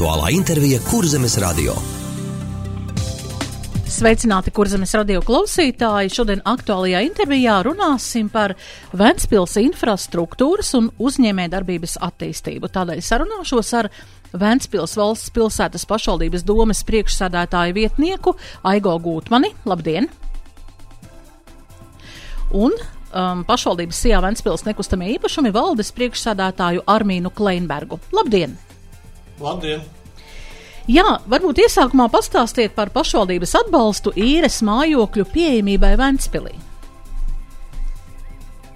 Aktuālā intervija Kurzemes radio. Sveicināti Kurzemes radio klausītāji! Šodien aktuālajā intervijā runāsim par Ventspils infrastruktūras un uzņēmējdarbības attīstību. Tādēļ sarunāšos ar Ventspils valsts pilsētas pašvaldības domes priekšsēdētāju vietnieku Aigo Gūtmani. Labdien! Un pašvaldības SIA Ventspils nekustamie īpašumi valdes priekšsēdētāju Armīnu Kleinbergu. Labdien! Labdien! Jā, varbūt iesākumā pastāstiet par pašvaldības atbalstu īres mājokļu pieejamībai Ventspilī.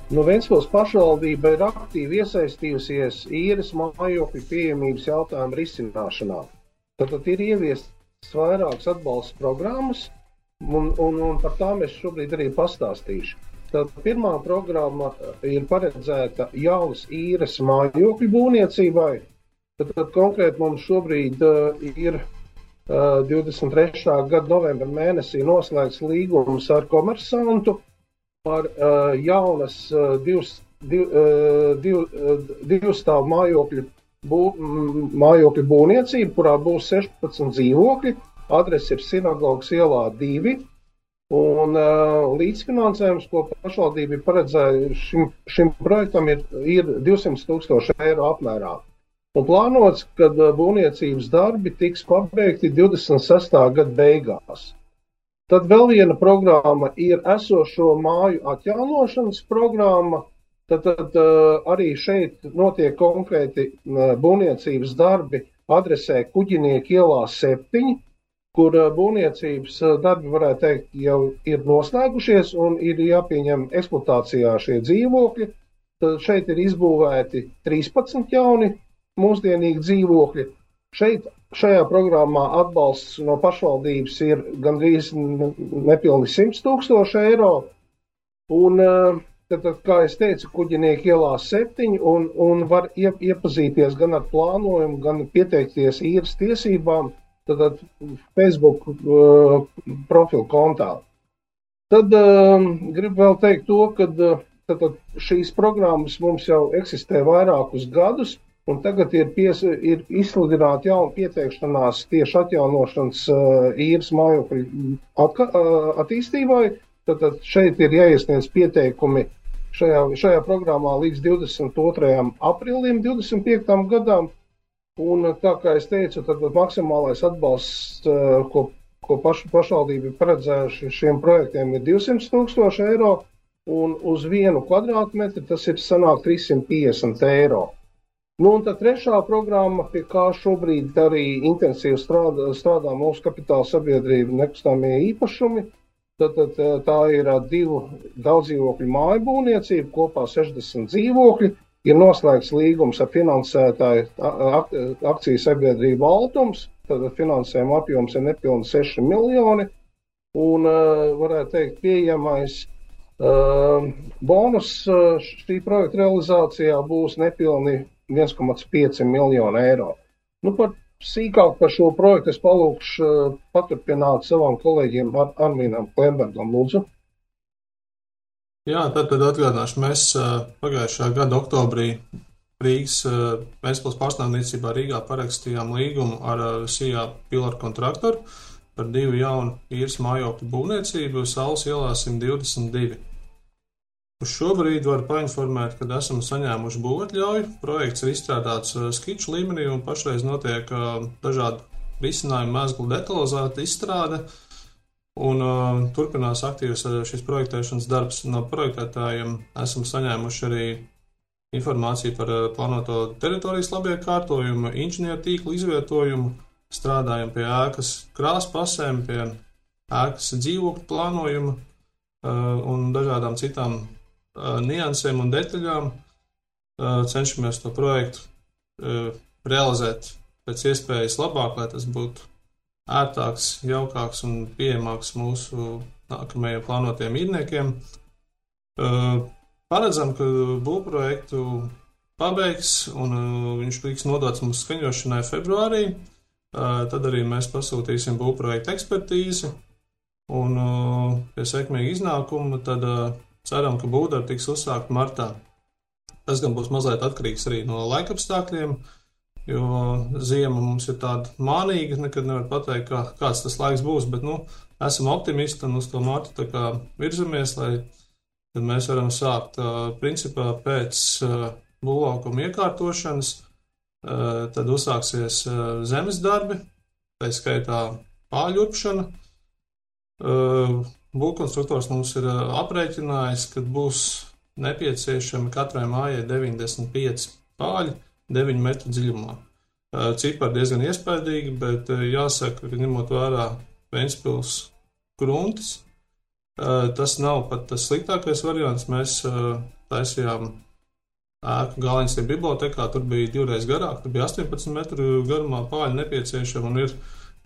Ventspils pašvaldība ir aktīvi iesaistījusies īres mājokļu pieejamības jautājumu risināšanā. Tad ir ieviestas vairākas atbalsta programmas, un par tām es šobrīd arī pastāstīšu. Tad pirmā programma ir paredzēta jaunas īres mājokļu būvniecībai. Tad konkrēti mums šobrīd ir 23. gada novembra mēnesī noslēgts līgums ar komersantu par jaunas divstāvu mājokļu būvniecību, kurā būs 16 dzīvokļi. Adrese ir Sinagogas ielā 2. Un līdzfinansējums, ko pašvaldība ir paredzējusi šim projektam, ir 200,000 eiro apmērā. Un plānots, ka būvniecības darbi tiks pabeigti 26. gada beigās. Tad vēl viena programma ir esošo māju atjaunošanas programma. Tad arī šeit notiek konkrēti būvniecības darbi adresē Kuģinieku ielā 7, kur būvniecības darbi, varētu teikt, jau ir noslēgušies un ir jāpieņem eksploatācijā šie dzīvokļi. Tad šeit ir izbūvēti 13 jauni mūsdienīgi dzīvokļi. Šajā programmā atbalsts no pašvaldības ir gandrīz nepilni 100,000 eiro. Un tad, kā es teicu, Kuģinieku ielā 7 un var iepazīties gan ar plānojumu, gan pieteikties īres tiesībām, tad Facebook profilu kontā. Tad gribu vēl teikt to, ka šīs programmas mums jau eksistē vairākus gadus. Un tagad ir izsludināta jauna pieteikšanās tieši atjaunošanas īres mājokļu attīstībai. Tad šeit ir jāiesniedz pieteikumi šajā programmā līdz 22. aprīlim 25. gadam. Un tā kā es teicu, tad maksimālais atbalsts, ko pašvaldība ir paredzējuši šiem projektiem, ir 200,000 eiro. Un uz 1 kvadrātmetru tas ir sanāk 350 eiro. Un tā trešā programma, pie kā šobrīd arī intensīvi strādā mūsu kapitāla sabiedrība nekustamie īpašumi, tad tā ir 2 daudzdzīvokļu māju būvniecība, kopā 60 dzīvokļi. Ir noslēgts līgums ar finansētāju akciju sabiedrību Altums, tad finansējuma apjoms ir nepilni 6 miljoni, un varētu teikt pieejamais bonus šī projekta realizācijā būs nepilni 1,5 miljonu eiro. Sīkāk par šo projektu es palūkšu paturpināt savam kolēģiem Armīnam Kleinbergam, lūdzu. Jā, tad atgādināšu, mēs pagājušā gada oktobrī Rīgas Ventspils pārstāvniecībā Rīgā parakstījām līgumu ar SIA Pilar kontraktoru par 2 jaunu īres mājokļu būvniecību Saules ielā 122. Uz šobrīd varu painformēt, ka esam saņēmuši būvatļauju. Projekts ir izstrādāts skiču līmenī un pašreiz notiek dažādu risinājumu mezglu detalizēta izstrāde un turpinās aktīvs šis projektēšanas darbs. No projektētājiem esam saņēmuši arī informāciju par plānoto teritorijas labiekārtojumu, inženieru tīklu izvietojumu, strādājam pie ēkas krāspasēm, pie ēkas dzīvokļu plānojuma un dažādām citām niansēm un detaļām. Cenšamies to projektu realizēt pēc iespējas labāk, lai tas būtu ērtāks, jaukāks un pieejamāks mūsu nākamajiem plānotiem īrniekiem. Paredzam, ka būvprojektu pabeigs un viņš tiks nodots mums skaņošanai februārī. Tad arī mēs pasūtīsim būvprojektu ekspertīzi un pie sekmīga iznākuma tad ceram, ka būvdarbi tiks uzsākt martā. Tas gan būs mazliet atkarīgs arī no laikapstākļiem, jo ziema mums ir tāda mānīga, nekad nevar pateikt, kāds tas laiks būs, bet, esam optimisti un uz to martu tā kā virzamies, lai tad mēs varam sākt, principā, pēc būvlaukuma iekārtošanas, tad uzsāksies zemes darbi, tā skaitā pāļurpšana. Būvkonstruktors mums ir aprēķinājis, ka būs nepieciešami katrai mājai 95 pāļi 9 metru dziļumā. Cipari diezgan iespaidīgi, bet jāsaka, ka ņemot vērā Ventspils kruntis, tas nav pat tas sliktākais variants. Mēs taisījām ēku Gāliņas bibliotekā, tur bija 2 reizes garāk, tur bija 18 metru garumā pāļi nepieciešami un ir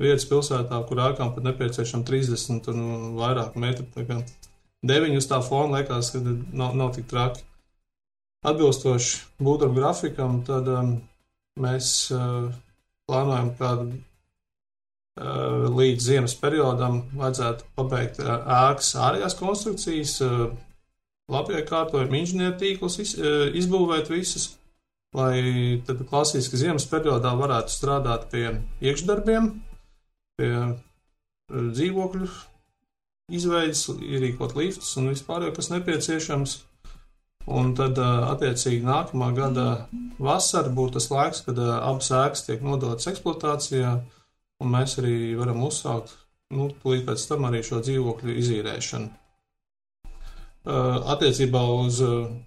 vietas pilsētā, kur ēkām pat nepieciešami 30 un vairāk metru. Tā kā 9 uz tā fona liekas, ka nav tik traki. Atbilstoši būvdarbu grafikam, tad mēs plānojam, ka līdz ziemas periodam vajadzētu pabeigt ēkas ārējās konstrukcijas, labiekārtojumu inženieru tīklus izbūvēt visus, lai tad klasiski ziemas periodā varētu strādāt pie iekšdarbiem, pie dzīvokļu izveidas, ierīkot liftus un vispār, kas nepieciešams. Un tad, attiecīgi, nākamā gada vasara būtu tas laiks, kad abas ēkas tiek nodotas eksploatācijā, un mēs arī varam uzsākt, tūlīt pēc tam arī šo dzīvokļu izīrēšanu. Attiecībā uz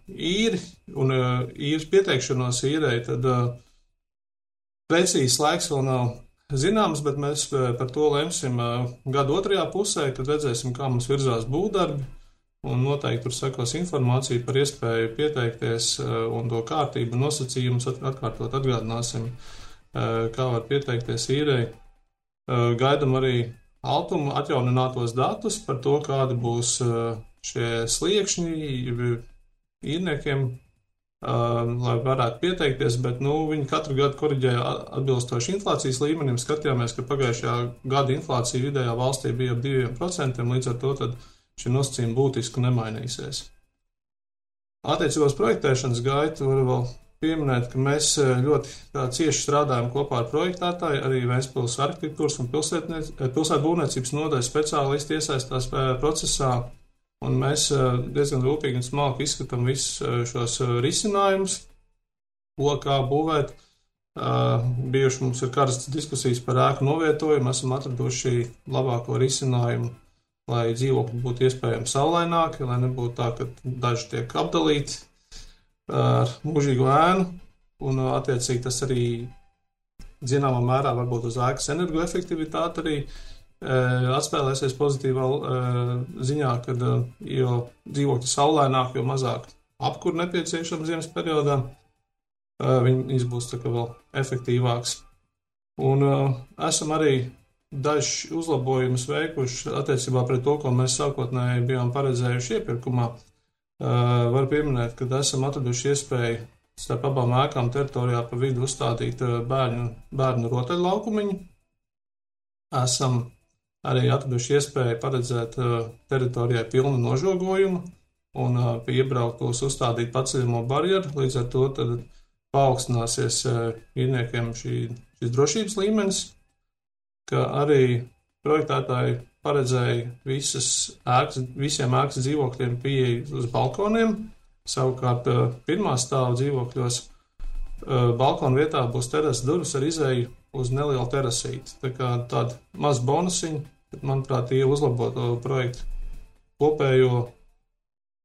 īri un īres pieteikšanos īrei, tad precīzs laiks vēl nav zināms, bet mēs par to lemsim gada otrajā pusē, kad redzēsim, kā mums virzās būvdarbi, un noteikti tur sekos informācija par iespēju pieteikties un to kārtību nosacījumus atkārtot atgādināsim, kā var pieteikties īrei. Gaidam arī Altuma atjauninātos datus par to, kādi būs šie sliekšņi īrniekiem, lai varētu pieteikties, bet viņi katru gadu koriģēja atbilstoši inflācijas līmenim. Skatījāmies, ka pagājušajā gada inflācija vidējā valstī bija ap 2%, līdz ar to tad šie nosacījumi būtiski nemainīsies. Attiecībā uz projektēšanas gaitu var vēl pieminēt, ka mēs ļoti cieši strādājam kopā ar projektētāju, arī Ventspils arhitektūras un pilsētbūvniecības nodaļas speciālisti iesaistās procesā, un mēs diezgan rūpīgi un smalki izskatām visus šos risinājumus, kā būvēt. Bijuši mums ir karstas diskusijas par ēku novietojumu, esam atraduši labāko risinājumu, lai dzīvokļi būtu iespējami saulaināki, lai nebūtu tā, ka daži tiek apdalīti ar mūžīgu ēnu, un attiecīgi tas arī zināmā mērā varbūt uz ēkas energoefektivitāti arī atspēlēsies pozitīvā ziņā, kad jo dzīvokļi saulaināk, jo mazāk apkur nepieciešams ziemas periodā, viņas būs tā kā vēl efektīvāks. Un esam arī daži uzlabojumus veikuši attiecībā pret to, ko mēs sākotnēji bijām paredzējuši iepirkumā. Var pieminēt, ka esam atraduši iespēju starp abām ēkām teritorijā pa vidu uzstādīt bērnu rotaļlaukumiņu. Esam arī atraduši iespēju paredzēt teritorijai pilnu nožogojumu un pie iebrauktos uzstādīt paceļamo barjeru, līdz ar to tad paaugstināsies īrniekiem šis drošības līmenis, ka arī projektētāji paredzēja visiem ēkas dzīvokļiem pieeju uz balkoniem, savukārt pirmā stāva dzīvokļos balkonu vietā būs terases durvis ar izēju uz nelielu terasīti. Tā kā tāda maz bonusiņa, bet, manuprāt, tie uzlabo to projektu kopējo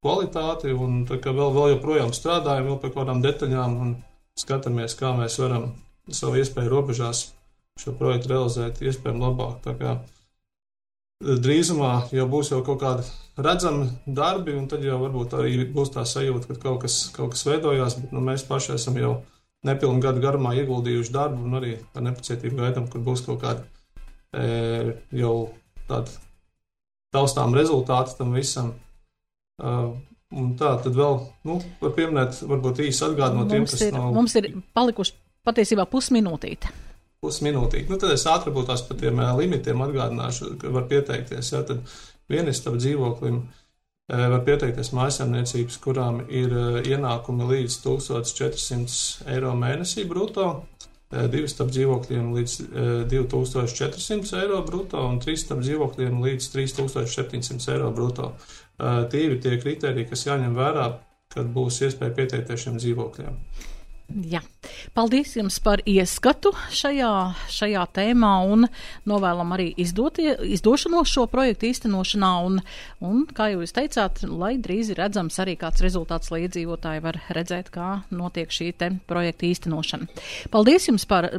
kvalitāti, un tā kā vēl joprojām strādājam vēl pie kādām detaļām un skatāmies, kā mēs varam savu iespēju robežās šo projektu realizēt iespējami labāk. Tā kā drīzumā jau būs jau kaut kādi redzami darbi, un tad jau varbūt arī būs tā sajūta, ka kaut kas veidojās, bet mēs paši esam jau nepilnu gadu garumā ieguldījuši darbu un arī ar nepacietību gaidām, kur būs kaut kādi jau tādi taustām rezultāti tam visam. Un tā, tad vēl, var pieminēt, varbūt īsi atgādinot tiem, kas nav... Mums ir palikuši patiesībā pusminūtīte. Pusminūtīgi. Tad es ātri būtu tās par tiem limitiem atgādināšu, ka var pieteikties. Ja, tad vienistabas dzīvoklim var pieteikties mājsaimniecības, kurām ir ienākumi līdz 1400 eiro mēnesī bruto. 2 stāv dzīvokļiem līdz 2400 eiro bruto un 3 stāv dzīvokļiem līdz 3700 eiro bruto. Tie ir tie kriteriji, kas jāņem vērā, kad būs iespēja pieteikties šiem dzīvokļiem. Jā. Paldies jums par ieskatu šajā tēmā un novēlam arī izdošanos šo projektu īstenošanā un kā jūs teicāt, lai drīz ir redzams arī kāds rezultāts, lai iedzīvotāji var redzēt, kā notiek šī te projekta īstenošana. Paldies jums par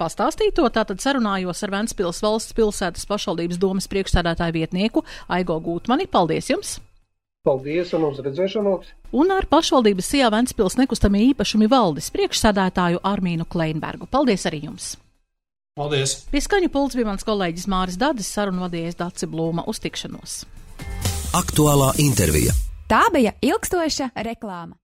pastāstīto, tātad sarunājos ar Ventspils valsts pilsētas pašvaldības domes priekšsēdētāju vietnieku Aigo Gūtmani. Paldies jums! Paldies un uz redzēšanos! Un ar pašvaldības SIA Ventspils nekustamie īpašumi valdes priekšsēdētāju Armīnu Kleinbergu. Paldies arī jums! Paldies! Pie skaņu pults bija mans kolēģis Māris Dadis, sarunu vadījais Daci Blūma. Uz tikšanos! Aktuālā intervija. Tā bija ilgstoša reklāma.